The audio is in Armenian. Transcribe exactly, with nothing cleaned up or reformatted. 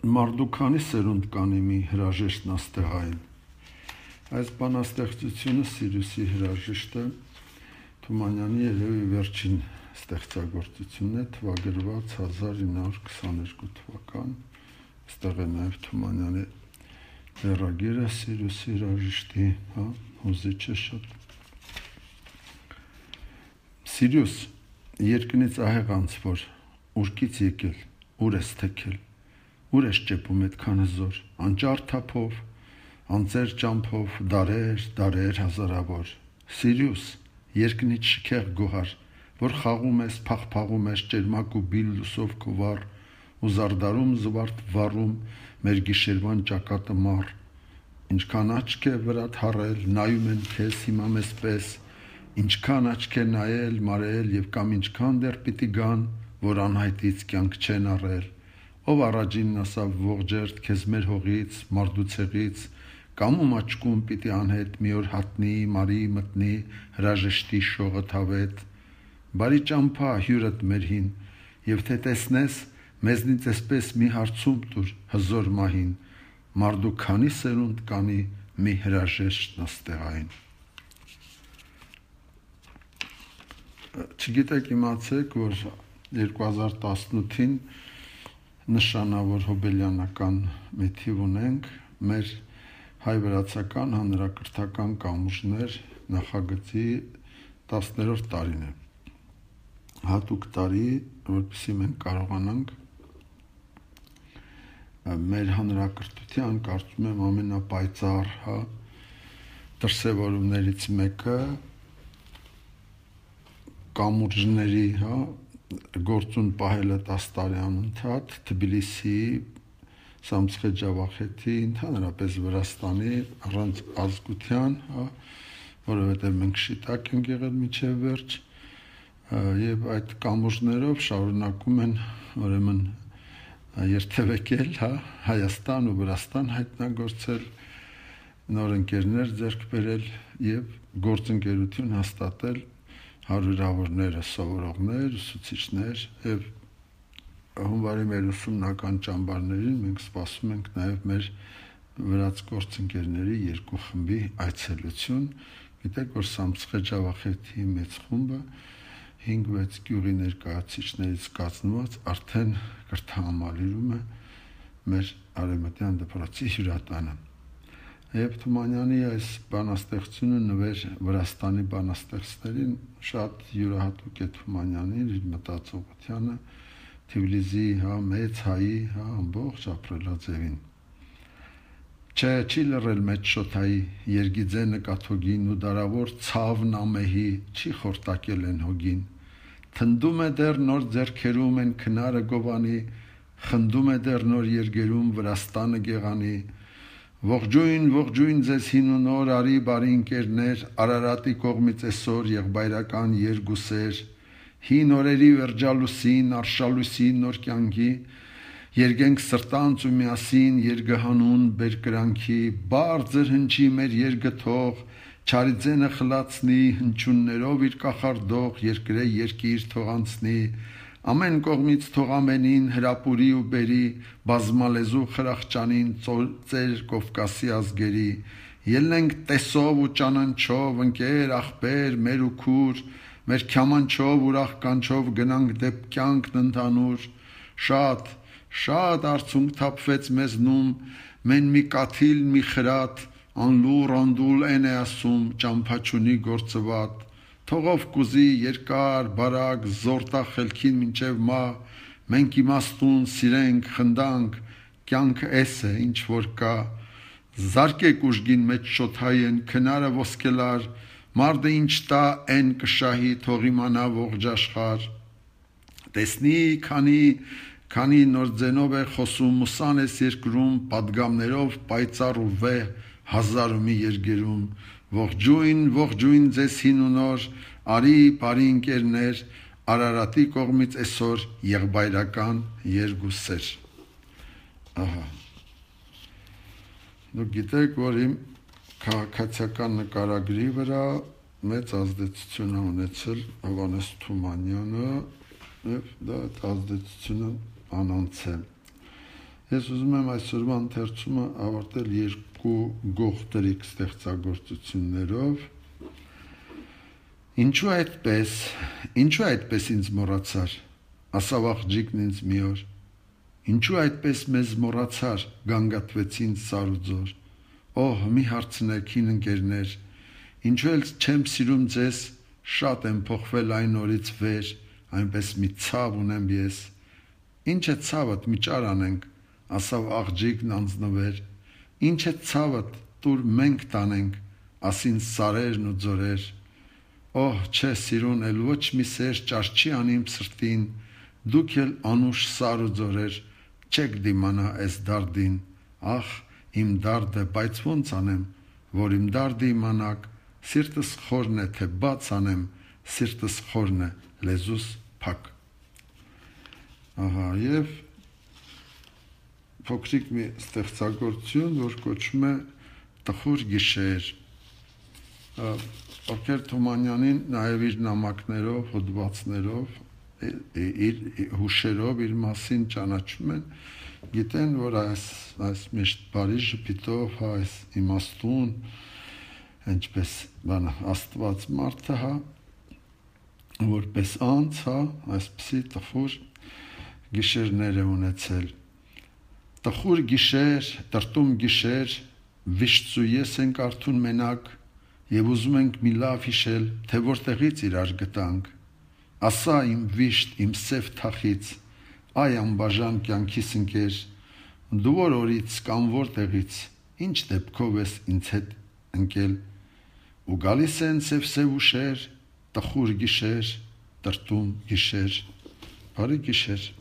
Մարդու սերունդ կանի մի հրաժեշտ նաստեղային։ Այս բանաստեղծությունը Սիրուսի հրաժեշտը Թումանյանի երևի վերջին ստեղծագործությունն է, թվագրված հազար ինը հարյուր քսաներկու թվական։ Այստեղ է նաև Թումանյանի ձեռագիրը Սիրուսի հրաժեշտի, հա, հուզիչ է շատ։ Սիրուս, երկնից ահեղ անց որ, ուրկից եկել, ուր ես թեքել, ուր ես ճեպում այդքան հզոր, անճար թափով, անծեր ճամփով, դարեր, դարեր հազարավոր։ Սիրուս, երկնից շքեղ գոհար, որ խաղում ես, փաղփաղում ես ճերմակ ու բիլ լուսով քո վառ, ու զարդարում զվարթ վառում մեր գիշերվան ճակատը մառ։ Ինչքան աչք է վրատ հառել, նայում են քեզ հիմա մեզպես, ինչքան աչք է նայել, մարել եւ կամ ինչքան դեռ պիտի գան, որ անհայտից կյանք չեն առել։ Ով առաջինն ասավ ողջերթ քեզ մեր հողից, մարդուցեղից, կամ ում աչքում պիտի անհետ մի օր հատնի, մարի մտնի, հրաժեշտի շողը թավետ։ Բարի ճամփա հյուրդ մեր հին, եւ թե տեսնես, մեզնից էսպես մի հարցում տուր հզոր մահին, մարդու քանի սերունդ կանի մի հրաժեշտ նստեղային։ Չգիտեք իմացեք, որ երկու հազար տասնութին նշանավոր հոբելյանական մի թիվ ունենք, մեր հայ-վրացական հանրակրթական կամուրջներ նախագծի տասներորդ տարին է։ Հատուկ տարի, որպեսզի մենք կարողանանք մեր հանրակրթության, կարծում եմ ամենապայծառ, հա, դրսևորումներից մեկը կամուրջների, հա, գործուն պահելը տասը տարի անընդհատ Թբիլիսիի, Սամցխե Ջավախեթի, ընդհանրապես Վրաստանի առանց ազգության, հա, որովհետև մենք շիտակ ենք եղել մինչև վերջ, եւ այդ կամուրջներով շարունակում են ուրեմն երթևեկել, հա, Հայաստան ու Վրաստան հայտնագործել, նոր ընկերներ ձեռք բերել եւ գործընկերություն հաստատել հարյուրավորները սովորողներ, ուսուցիչներ եւ հունվարի մեր ուսումնական ճամբարներին մենք սպասում ենք նաեւ մեր վրաց գործընկերների երկու խմբի այցելություն։ Գիտեք, որ Սամցխե Ջավախեթի մեծ խումբը հինգ-վեց գյուղի ներկայացուցիչներից կազմված արդեն կրթահամալիրում է մեր արևմտյան դպրոցի հյուրատանը։ Եվ Թումանյանի այս բանաստեղծությունը նվեր Վրաստանի բանաստեղծներին շատ յուրահատուկ է Թումանյանին, իր մտածողությանը, Թիֆլիսի, հա, մեծ հայի, հա, ամբողջ ապրելաձևին։ Չէ, չի լռել մեծ շոթայի, երգիձե նկաթոգին ու դարավոր ցավն ամեհի, չի խորտակել են հոգին։ Թնդում է դեռ նոր ձեռքերում են քնարը գովանի, խնդում է դեռ նոր երգերում Վրաստանը գեղանի։ Ողջույն, ողջույն ձեզ հին ու նոր, արի բարի ընկերներ, Արարատի կողմից այսօր եղբայրական երգուսեր, հին օրերի վերջալուսին, արշալույսին նոր կյանքի, երգենք սրտանց ու միասին երգահանուն բերկրանքի, բարձր հնչի մեր երգը թող, չարիձենը խլացնի, հնչյուններով իր կախարդող երկրե երկիր թող անցնի, ամեն կողմից թող ամենին հրապուրի ու բերի, բազմալեզու խրախճանին ծեր Կովկասի ազգերի, ելնենք տեսով ու ճանաչով, ընկեր, ախպեր, մեր ու քուր, մեր քյամանչով ուրախ կանչով գնանք դեպ կյանքն ընդհանուր, շատ, շատ արցունք թափվեց մեզնում, մեն մի կաթիլ մի խրատ, անլուր անդուլ են է ասում, ճամփաչունի գործված, թողով կուզի երկար, բարակ, զորտա խելքին մինչև մա, մենք իմաստուն սիրենք, խնդանք, կյանքը էս է, ինչ որ կա, զարկեք ուժգին մեջ շոթայեն, քնարը ոսկելար, մարդը ինչ տա են կշահի, թող իմանա ողջ աշխարհ, տեսնի քանի, քանի նոր ձենով է խոսում, մուսան ես երկրում, պատգամներով պայծառ ու վեհ, հազար ու մի երգերում, ողջույն, ողջույն ձեզ հին ու նոր, արի բարի ընկերներ, Արարատի կողմից այսօր եղբայրական երգուսեր։ Ահա։ Դուք գիտեք, որ իմ քաղաքացիական նկարագրի վրա մեծ ազդեցություն է ունեցել Հովհաննես Թումանյանը եւ դա այդ ազդեցությունը անոնց է։ Ես ուզում եմ այսօրվա ընթերցումը ավարտել երկու գողտրիկ ստեղծագործություններով։ Ինչու այդպես, ինչու այդպես ինձ մոռացար, ասավ աղջիկն ինձ մի օր, ինչու այդպես մեզ մոռացար, գանգատվեց ինձ սարուձոր, օհ, մի հարցնեք հին ընկերներ, ինչու էլ չեմ սիրում ձեզ, շատ եմ փոխվել այն օրից վեր, այնպես մի ցավ ունեմ ես, ինչ է ցավդ, մի ճար անենք, ասավ աղջիկն անձնվեր, ինչ է ցավդ, տուր մենք տանենք, ասին սարերն ու ձորեր, օհ, չէ սիրուն, էլ ոչ մի սեր ճար չի անիմ սրտին, դուք էլ անուշ սար ու ձորեր, չեք դիմանա այս դարդին, ախ, իմ դարդը, բայց ոնց անեմ, որ իմ դարդը իմանաք, սիրտս խորն է, թե բաց անեմ, սիրտս խորն է, լեզուս փակ։ Ահա, եւ փոքրիկ մի ստեղծագործություն, որ կոչվում է Տխուր գիշեր։ Ովքեր Թումանյանին նաև իր նամակներով, հոդվածներով, իր հուշերով իր մասին ճանաչում են, գիտեն, որ այս այս միշտ բարի ժպիտով, այս իմաստուն, ինչպես բան Աստված մարդը, հա, որպես անց, հա, այսպիսի տխուր գիշերներ է ունեցել։ Տխուր գիշեր, տրտում գիշեր, վիշծու ես ենք արթուն մենակ, եւ ուզում ենք մի լավ հիշել, թե որտեղից իրար գտանք, ասա իմ վիշտ, իմ սև թախից, այ անբաժան կյանքիս ընկեր, դու որ օրից կամ որտեղից, ինչ դեպքով ես ինձ հետ ընկել, ու գալիս են սև-սև ուշեր, տխուր գիշեր, տրտում գիշեր, բարի գիշեր։